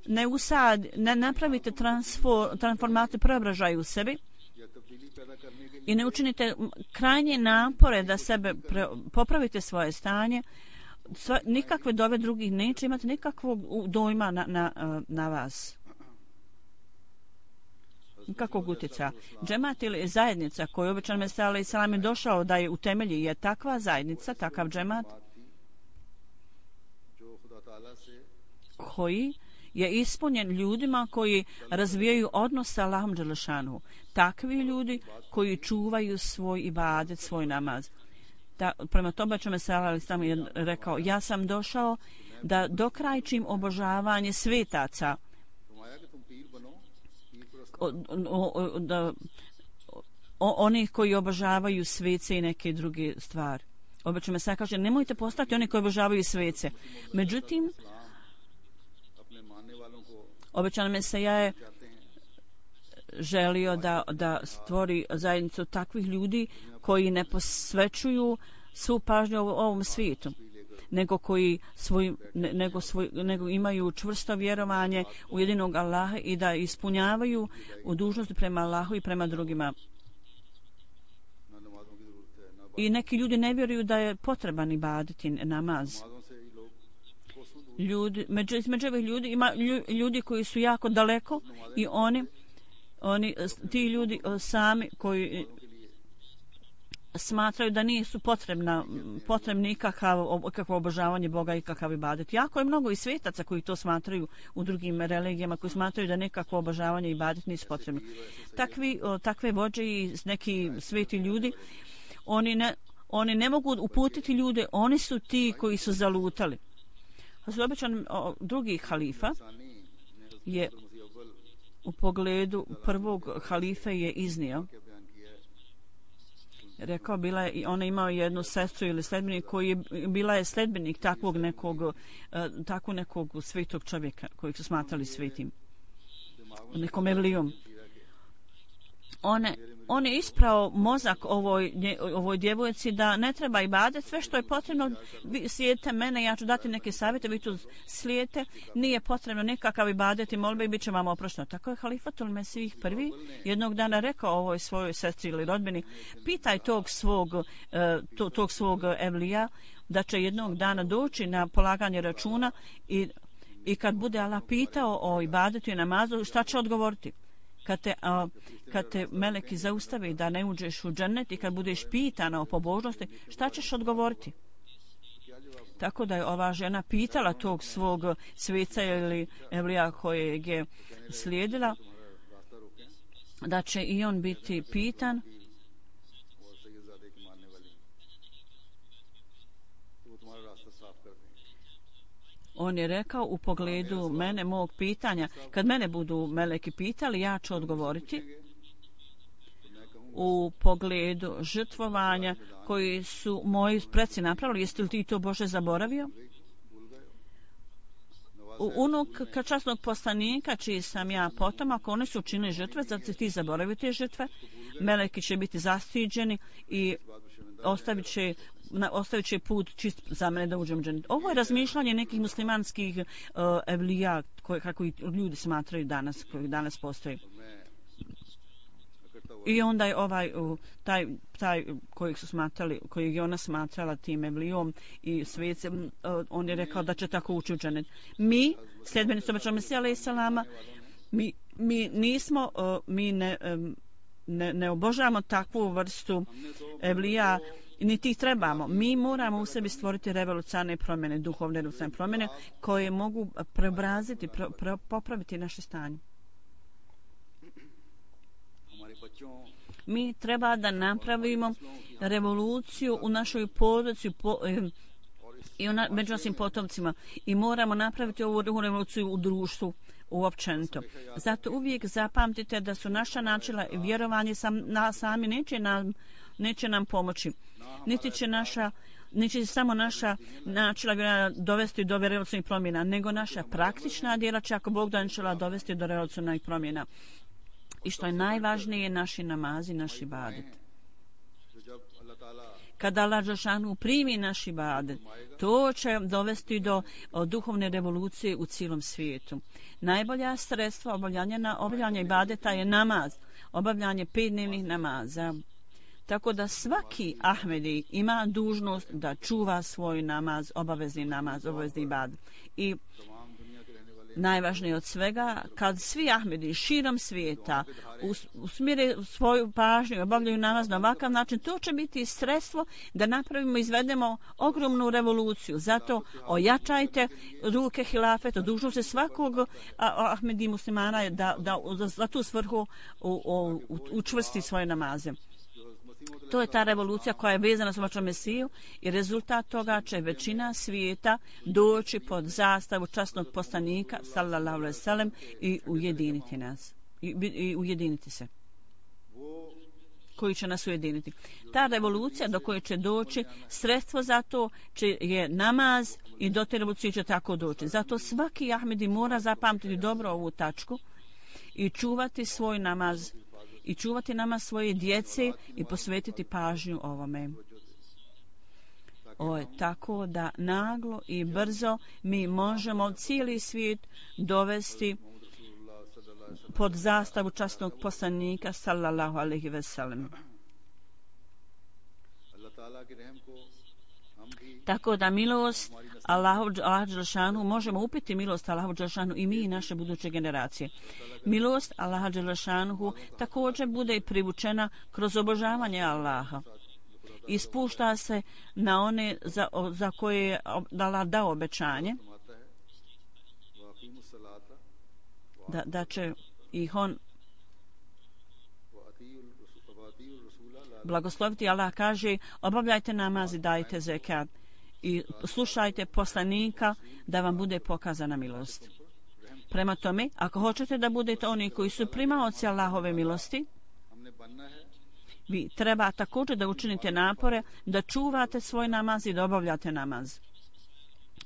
ne usad, ne napravite transfor, transformaciju, preobražaj u sebi i ne učinite krajnje napore da sebe pre, popravite svoje stanje, sva, nikakve dove drugih neće imati nikakvog dojma na, na, na vas. Nikakvog utjecaja. Džemat ili zajednica koju običan Mesija alejhi selam je došao da je utemelji je takva zajednica, takav džemat koji je ispunjen ljudima koji razvijaju odnos sa Allahom dželešanu. Takvi ljudi koji čuvaju svoj ibadet, svoj namaz. Da, prema tome ću Mesija alejhi selam je rekao, ja sam došao da dokrajčim obožavanje svetaca, o, o, o, da, o, onih koji obožavaju svece i neke druge stvari. Obično Mesija kaže, nemojte postati oni koji obožavaju svece. Međutim, običan Mesija je želio da, da stvori zajednicu takvih ljudi koji ne posvećuju svu pažnju ovom svijetu, nego koji svoj, ne, nego, svoj, nego imaju čvrsto vjerovanje u jedinog Allaha i da ispunjavaju u dužnosti prema Allahu i prema drugima. I neki ljudi ne vjeruju da je potreban ibadeti namaz. Ljudi, među, među ovih ljudi ima ljudi koji su jako daleko i oni, oni ti ljudi sami koji smatraju da nisu potrebna, potrebni ikakav, ikakvo obožavanje Boga i kakav ibadet. Jako je mnogo i svetaca koji to smatraju u drugim religijama, koji smatraju da nekakvo obožavanje i ibadet nisu potrebni. Takvi, takve vođe i neki sveti ljudi, oni ne, oni ne mogu uputiti ljude, oni su ti koji su zalutali. Običan drugi halifa je u pogledu prvog halife je iznio, rekao, bila je, ona imao jednu sestru ili sledbenik koji je, bila je sledbenik takvog nekog, takvog nekog svetog čovjeka kojeg su smatrali svetim, nekom evlijom. One, on je isprao mozak ovoj, ovoj djevojci da ne treba ibadet, sve što je potrebno, vi slijedite mene, ja ću dati neke savjete, vi tu slijedite, nije potrebno nekakav ibadet i molbe i bit će vam oprošteno. Tako je Halifatul Mesih prvi jednog dana rekao ovoj svojoj sestri ili rodbini, pitaj tog svog, to, tog svog evlija da će jednog dana doći na polaganje računa i, i kad bude Allah pitao o ibadetu i namazu, šta će odgovoriti? Kad te, a, kad te meleki zaustavi da ne uđeš u džennet i kad budeš pitana o pobožnosti, šta ćeš odgovoriti? Tako da je ova žena pitala tog svog sveca ili evlija kojeg je slijedila, da će i on biti pitan. On je rekao u pogledu mene, mog pitanja, kad mene budu meleki pitali, ja ću odgovoriti u pogledu žrtvovanja koji su moji preci napravili. Jeste li ti to, Bože, zaboravio? U unuk časnog poslanika, čiji sam ja potomak, oni su učinili žrtve, zato ti zaboravio te žrtve. Meleki će biti zastiđeni i ostavit će Na, ostavit će put čist za mene da uđem u džennet. Ovo je razmišljanje nekih muslimanskih uh, evlija koje, kako ljudi smatraju danas, koji danas postoji. I onda je ovaj, taj, taj kojeg su smatrali, kojeg je ona smatrala tim Evlijom i svecem, on je rekao da će tako ući u dženet. Mi, sljedbenici obećanog Mesija alejhi selama, mi, mi nismo, mi ne, ne, ne obožavamo takvu vrstu Evlija, niti ih trebamo. Mi moramo u sebi stvoriti revolucionarne promjene, duhovne revolucionarne promjene koje mogu preobraziti, pro, pro, popraviti naše stanje. Mi treba da napravimo revoluciju u našoj porodici po, i u na, među našim potomcima i moramo napraviti ovu revoluciju u društvu uopćenito. Zato uvijek zapamtite da su naša načela i vjerovanje sam, na, sami neće nam, neće nam pomoći. Niti će naša neće samo naša načela dovesti do revolucionarnih promjena, nego naša praktična djela će, ako Bog da, načela dovesti do revolucionarnih promjena. I što je najvažnije, naši namazi, naši ibadet. Kada Allah dželešanu primi naš ibadet, to će dovesti do o, duhovne revolucije u cijelom svijetu. Najbolja sredstva obavljanja, obavljanja ibadeta je namaz, obavljanje petdnevnih namaza. Tako da svaki Ahmedi ima dužnost da čuva svoj namaz, obavezni namaz, obavezni ibadet. I najvažnije od svega, kad svi Ahmedi širom svijeta usmire svoju pažnju i obavljaju namaz na ovakav način, to će biti sredstvo da napravimo, izvedemo ogromnu revoluciju. Zato ojačajte ruke hilafeta, dužno se svakog Ahmedi muslimana da, da za tu svrhu u, u, učvrsti svoje namaze. To je ta revolucija koja je vezana s vašom Mesiju i rezultat toga će većina svijeta doći pod zastavu časnog poslanika sallallahu alejhi ve sellem i ujediniti nas i, i ujediniti se, koji će nas ujediniti. Ta revolucija do koje će doći, sredstvo za to će, je namaz i do te revolucije će tako doći. Zato svaki Ahmedi mora zapamtiti dobro ovu tačku i čuvati svoj namaz i čuvati nama svoje djece i posvetiti pažnju ovome. O, tako da naglo i brzo mi možemo cijeli svijet dovesti pod zastavu časnog poslanika sallallahu alejhi ve sellem. Tako da milost Allahu dželešanu, možemo upiti milost Allahu dželešanu i mi i naše buduće generacije. Milost Allaha dželešanu također bude i privučena kroz obožavanje Allaha. I spušta se na one za, za koje je Allah dao obećanje da, da će ih on blagosloviti. Allah kaže: obavljajte namaz i dajte zekat i slušajte poslanika da vam bude pokazana milost. Prema tome, ako hoćete da budete oni koji su primaoci Allahove milosti, vi treba također da učinite napore da čuvate svoj namaz i da obavljate namaz.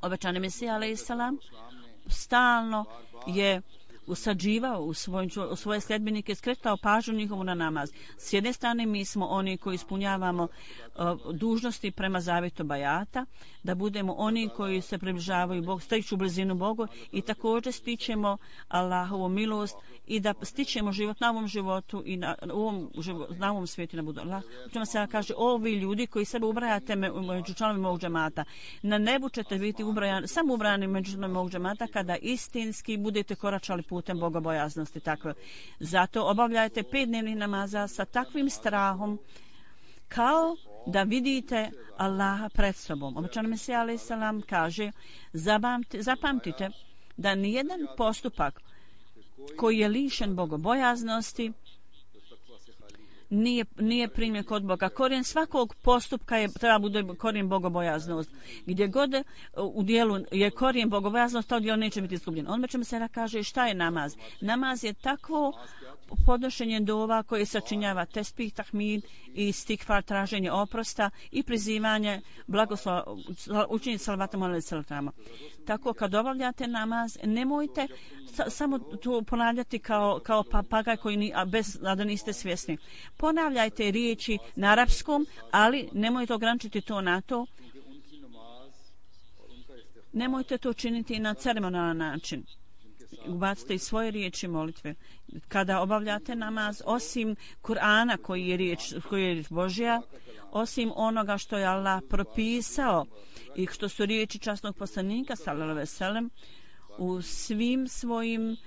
Obećani Mesija alejhi selam stalno je usađivao u, svoj, u svoje sljedbenike, skretao pažnju njihovu na namaz. S jedne strane, mi smo oni koji ispunjavamo uh, dužnosti prema zavjetu bajata, da budemo oni koji se približavaju Bogu, stiču blizinu Bogu i također stičemo Allahovu milost i da stičemo život na ovom životu i na, na, ovom, život, na ovom svijetu na budu. Allah se kaže: ovi ljudi koji sebe ubrajate me, među članovima mog džemata, na nebu ćete biti ubrajani, samo ubrani među članovima mog džemata kada istinski budete koračali putem bogobojaznosti. Tako. Zato obavljajte pet dnevnih namaza sa takvim strahom kao da vidite Allaha pred sobom. Obećani Mesija alejhi selam kaže: zapamtite da nijedan postupak koji je lišen bogobojaznosti nije, nije primjen kod Boga. Korijen svakog postupka je, treba bude korijen bogobojaznost. Gdje god u dijelu je korijen bogobojaznost, to dijelo neće biti izgubljen. On će mi se kaže: šta je namaz? Namaz je takvo podnošenje dova koje sačinjava tespih, tahmid i istikfar, traženje oprosta i prizivanje blagoslova, učiniti salavatom alejhi selama. Tako kad obavljate namaz, nemojte sa, samo to ponavljati kao, kao papagaj koji ni, a bez, a da niste svjesni. Ponavljajte riječi na arapskom, ali nemojte ograničiti to na to. Nemojte to činiti na ceremonalan način. ubacite i svoje riječi molitve. Kada obavljate namaz, osim Kur'ana koji je riječ, koji je riječ Božja, osim onoga što je Allah propisao i što su riječi časnog poslanika sallallahu alejhi ve sellem, u svim svojim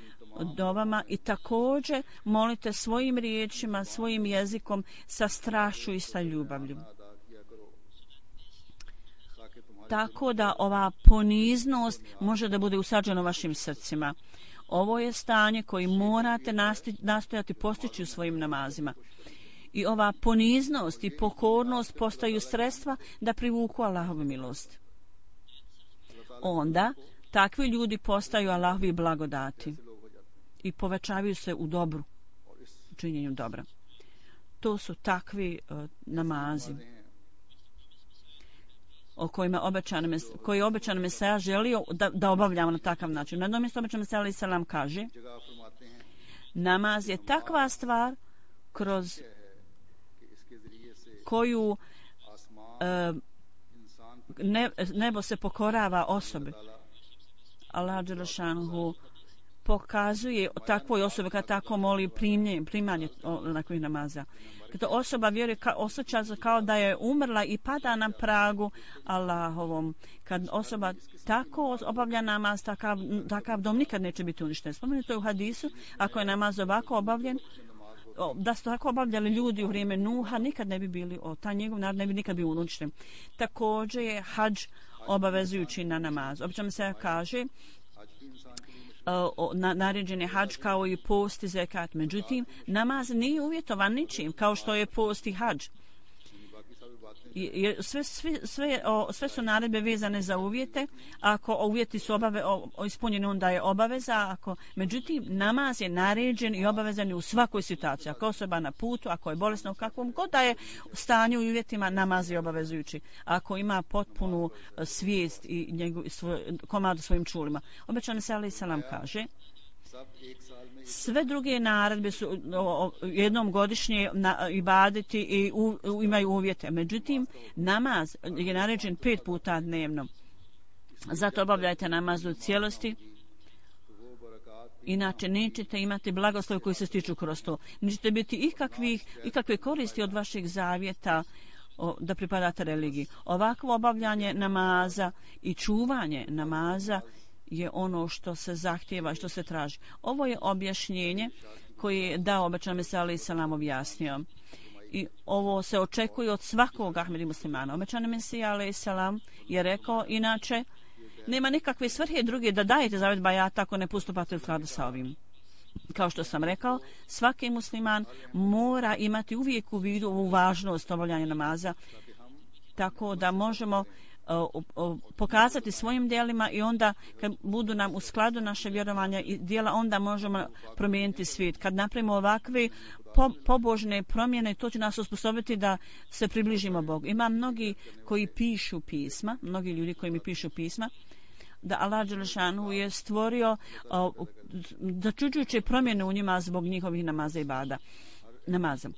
dovama i također molite svojim riječima, svojim jezikom sa strašću i sa ljubavlju. Tako da ova poniznost može da bude usađena u vašim srcima. Ovo je stanje koje morate nastojati postići u svojim namazima. I ova poniznost i pokornost postaju sredstva da privuku Allahovu milost. Onda takvi ljudi postaju Allahovi blagodati i povećavaju se u dobru, u činjenju dobra. To su takvi uh, namazi o kojima obećan mes, koji je obećan Mesaja želio da, da obavljamo na takav način. Na jednom mjestu obećan Mesaja alejhi selam kaže: namaz je takva stvar kroz koju uh, ne, nebo se pokorava osobi. Allah dželešanhu pokazuje takvoj osobi kad tako moli primanje, primanje onakvih namaza. Kada osoba vjeruje, ka, osjeća se kao da je umrla i pada na pragu Allahovom. Kad osoba tako obavlja namaz, takav, takav dom nikad neće biti uništen. Spomenuto je u hadisu, ako je namaz ovako obavljen, da su tako obavljali ljudi u vrijeme Nuha, nikad ne bi bili, o, ta njegov narod ne bi nikad bio uništen. Također je hadž obavezujući na namaz. Obično se kaže uh, na, naređen je hadž kao i post i zekat. Međutim, namaz nije uvjetovan ničim kao što je post i hadž. Jer sve, sve, sve, o, sve su naredbe vezane za uvjete. Ako uvjeti su obave, o, o, ispunjeni, onda je obaveza. Ako, međutim, namaz je naređen i obavezan u svakoj situaciji. Ako osoba na putu, ako je bolesna, u kakvom god da je stanju i uvjetima, namaz je obavezujući. Ako ima potpunu svijest i njegov, svoj, komadu svojim čulima. Obećan Mesija alejhi selam kaže: sve druge naredbe su o, o, jednom godišnje na, ibadeti i u, u, imaju uvjete. Međutim, namaz je naređen pet puta dnevno. Zato obavljajte namaz u cijelosti. Inače, nećete imati blagoslov koji se stiču kroz to. Nećete biti ikakvih, ikakve koristi od vašeg zavjeta o, da pripadate religiji. Ovakvo obavljanje namaza i čuvanje namaza je ono što se zahtjeva, što se traži. Ovo je objašnjenje koje je dao obećan Mesija alejhi selam objasnio. I ovo se očekuje od svakog Ahmedi muslimana. Obećan Mesija alejhi selam je rekao, inače nema nikakve svrhe druge da dajete zavjet bajata ako ne postupate u skladu sa ovim. Kao što sam rekao, svaki musliman mora imati uvijek u vidu ovu važnost obavljanja namaza, tako da možemo O, o, pokazati svojim djelima i onda kad budu nam u skladu naše vjerovanja i djela, onda možemo promijeniti svijet. Kad napravimo ovakve po, pobožne promjene, to će nas usposobiti da se približimo Bogu. Ima mnogi koji pišu pisma, mnogi ljudi koji mi pišu pisma, da Allah dželešanu je stvorio o, začuđujuće promjene u njima zbog njihovih namaza i bada. Namaza.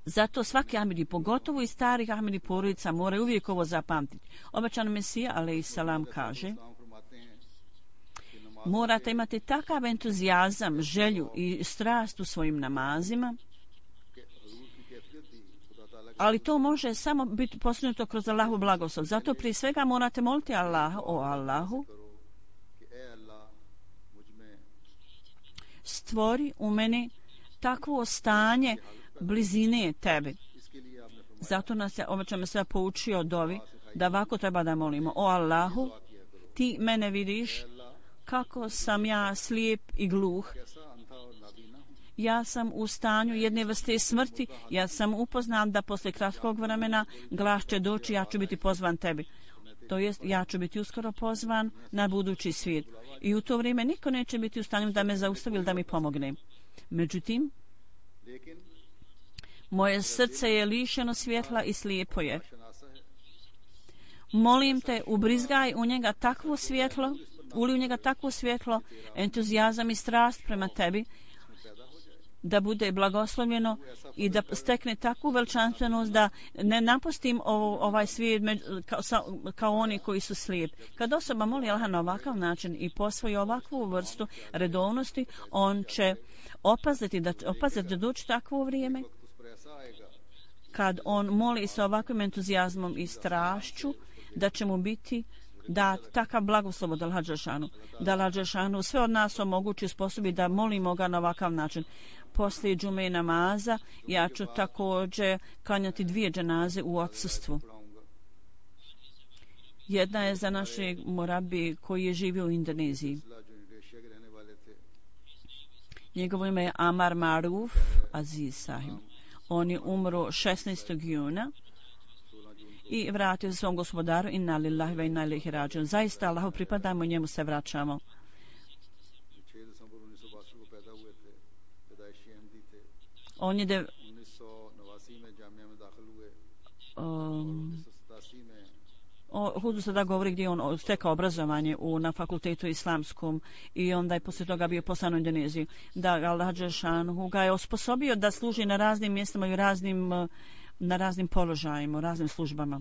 Zato svaki Ahmedi, pogotovo i starih Ahmedi porodica, moraju uvijek ovo zapamtiti. Obećan Mesija alejhi selam kaže: morate imati takav entuzijazam, želju i strast u svojim namazima, ali to može samo biti postignuto kroz Allahu blagoslov. Zato prije svega morate moliti Allaha: o Allahu, stvori u meni takvo stanje blizine tebi. Zato nas je obećan Mesija poučio dovi da ovako treba da molimo: o Allahu, ti mene vidiš kako sam ja slijep i gluh. Ja sam u stanju jedne vrste smrti. Ja sam upoznan da posle kratkog vremena glas će doći, ja ću biti pozvan tebi. To jest, ja ću biti uskoro pozvan na budući svijet. I u to vrijeme niko neće biti u stanju da me zaustavi ili da mi pomogne. Međutim, moje srce je lišeno svjetla i slijepo je. Molim te, ubrizgaj u njega takvo svjetlo, uli u njega takvo svjetlo, entuzijazam i strast prema tebi, da bude blagoslovljeno i da stekne takvu veličanstvenost da ne napustim ovo, ovaj svijet kao, kao oni koji su slijepi. Kad osoba moli Allaha na ovakav način i posvoji ovakvu vrstu redovnosti, on će opaziti da, opaziti da doći takvo vrijeme kad on moli sa ovakvim entuzijazmom i strašću da će mu biti dat takav blagoslov od Allaha dželešanu, da Allaha dželešanu sve od nas omogući sposobi da molimo ga na ovakav način. Poslije džume i namaza ja ću također klanjati dvije dženaze u odsustvu. Jedna je za našeg murabi koji je živio u Indoneziji. Njegovo ime je Amar Maruf Aziz Sahib. On je umro šesnaestog juna i vratio se svom gospodaru, inna lillahi wa inna ilaihi rađiun. Zaista Allahu pripadamo i njemu se vraćamo. On je de, um, o Hudu sada govori gdje on stekao obrazovanje u, na fakultetu islamskom i onda je poslije toga bio poslan u Indoneziju. Da Allah dželešanu ga je osposobio da služi na raznim mjestima i raznim, na raznim položajima, u raznim službama.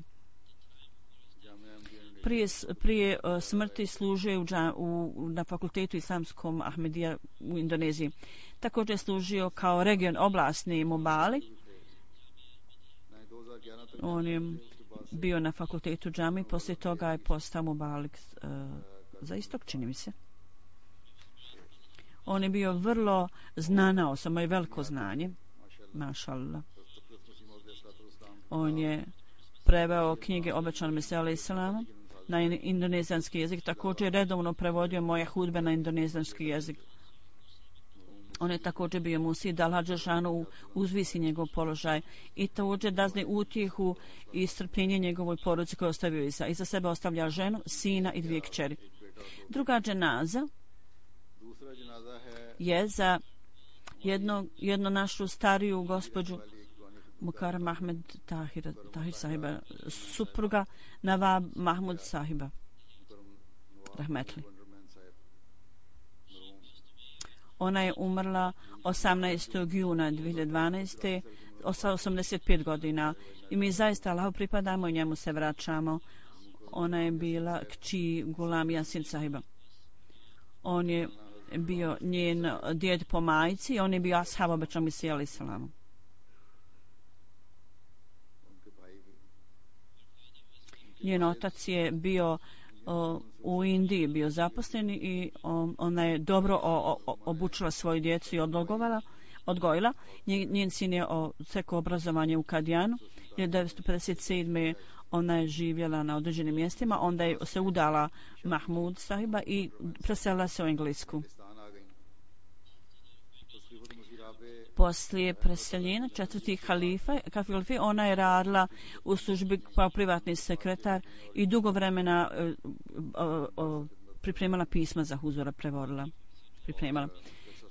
Prije, prije uh, smrti služio u, u, na fakultetu islamskom Ahmedija u Indoneziji. Također je služio kao region oblastni Mubali. On je bio na fakultetu džami, poslije toga je postao Mubalik uh, za istok, čini mi se. On je bio vrlo znana osoba i veliko znanje. Mašallah. On je preveo knjige obećanog Mesija alejhi selam na indonezijski jezik, također redovno prevodio moje hudbe na indonezijski jezik. On je također bio musi da Allah dželešanu uzvisi njegov položaj i također dazni utjehu i strpljenje njegovoj porodici koju ostavio iza. Iza sebe ostavlja ženu, sina i dvije kćeri. Druga dženaza je za jedno, jedno našu stariju gospođu Mukarram Ahmed Tahir, Tahir sahiba, supruga Nawab Mahmud sahiba. Rahmetli. Ona je umrla osamnaestog juna dvije hiljade dvanaeste sa osamdeset pet godina i mi zaista Allahu pripadamo i njemu se vraćamo. Ona je bila kći Gulam Yasin sahiba. On je bio njen djed po majci i on je bio ashab obećanog Mesija alejhi selam. Njen otac je bio o, u Indiji bio zaposlen i o, ona je dobro o, o, obučila svoju djecu i odgovala, odgojila. Njen, njen sin je stekao obrazovanje u Kadijanu. hiljadu devetsto pedeset sedme ona je živjela na određenim mjestima. Onda je se udala Mahmud sahiba i preselila se u Englesku. Poslije preseljenja četvrtih halifa, kalife, ona je radila u službi kao privatni sekretar i dugo vremena uh, uh, uh, pripremala pisma za huzura, prevodila, pripremala.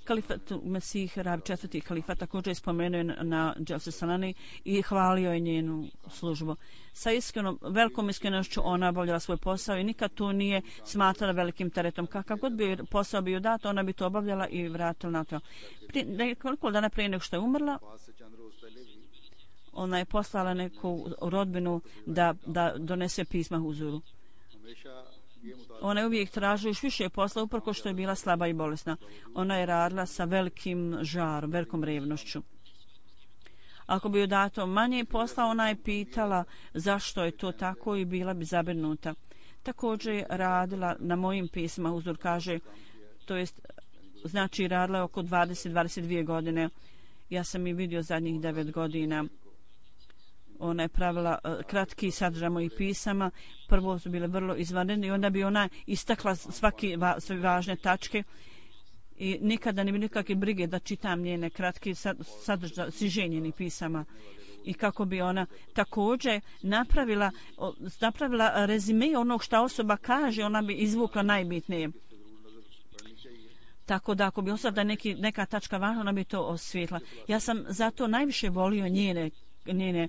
Kalifat Mesih Rabi, četvrti halifa, također je spomenuo na Dželse Salani i hvalio je njenu službu. Sa iskrenom, velikom iskrenošću ona obavljala svoj posao i nikad to nije smatrala velikim teretom. Kakav god bi posao bio dat, ona bi to obavljala i vratila na to. Koliko dana prije nego što je umrla, ona je poslala neku rodbinu da, da donese pisma huzuru. Ona je uvijek tražila još više posla uprko što je bila slaba i bolesna. Ona je radila sa velikim žarom, velikom revnošću. Ako bi joj dato manje posla, ona je pitala zašto je to tako i bila bi zabrinuta. Također je radila na mojim pisma, huzur kaže, to jest, znači radila je oko dvadeset do dvadeset dvije godine. Ja sam i vidio zadnjih devet godina. Ona je pravila uh, kratki sadržaj mojih pisama. Prvo su bile vrlo izvanredne i onda bi ona istakla svaki va, sve važne tačke i nikada ne bi nikakve brige da čitam njene kratki sadržaj siženjenih pisama. I kako bi ona također napravila, napravila rezime onog što osoba kaže, ona bi izvukla najbitnije. Tako da ako bi ostala da neki, neka tačka važna, ona bi to osvijetla. Ja sam zato najviše volio njene njene,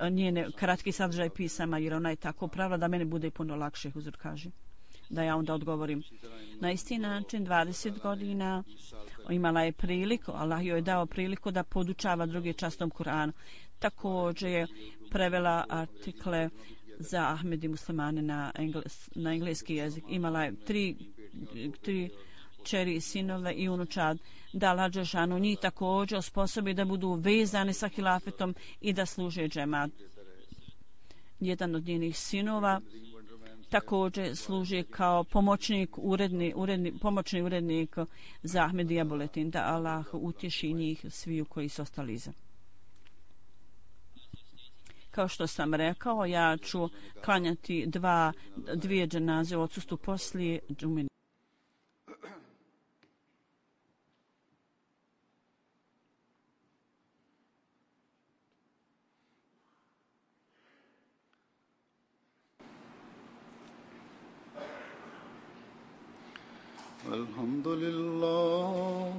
uh, njene kratki sadržaj pisama, jer ona je tako pravila da mene bude puno lakše, huzur kaže. da ja onda odgovorim. Na isti način dvadeset godina imala je priliku, Allah joj je dao priliku da podučava drugi častom Kur'anu. Također je prevela artikle za Ahmedi muslimane na, engles, na engleski jezik. Imala je tri, tri čeri, sinove i unučad, da Allah dželešanu njih također osposobi da budu vezani sa hilafetom i da služe džemat. Jedan od njenih sinova također služi kao pomoćnik, uredni, uredni, pomoćni urednik za Ahmedija Buletin, da Allah utješi njih sviju koji su ostali iza. Kao što sam rekao, ja ću klanjati dva, dvije dženaze u odsustvu poslije džume. Alhamdulillah,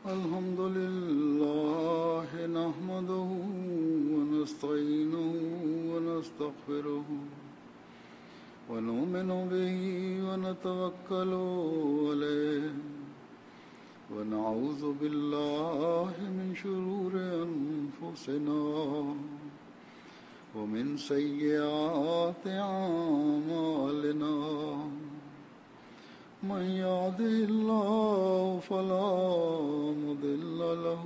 alhamdulillah, nahmaduhu wa nasta'inuhu wa nastaghfiruhu wa nu'minu bihi wa natawakkalu alayhi wa na'udhu billahi min shururi anfusina wa min sayyiati a'malina. من يهده الله فلا مضل له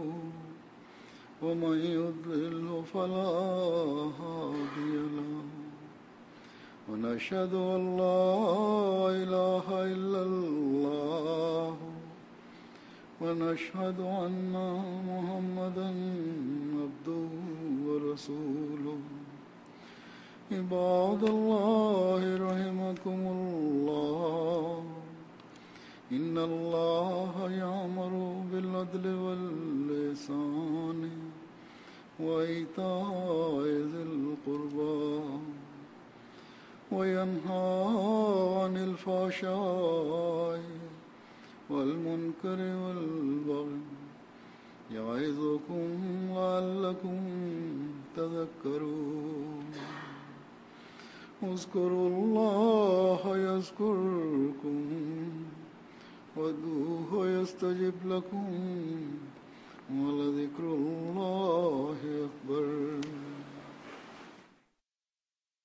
ومن يضلل فلا هادي له ونشهد أن لا إله إلا الله ونشهد أن محمدا عبده ورسوله. عباد الله رحمكم الله، إن الله يأمر بالعدل والإحسان وإيتاء ذي القربى وينهى عن الفحشاء والمنكر والبغي يعظكم لعلكم تذكرون. اذكروا الله يذكركم وادعوه يستجب لكم ولذكر الله أكبر.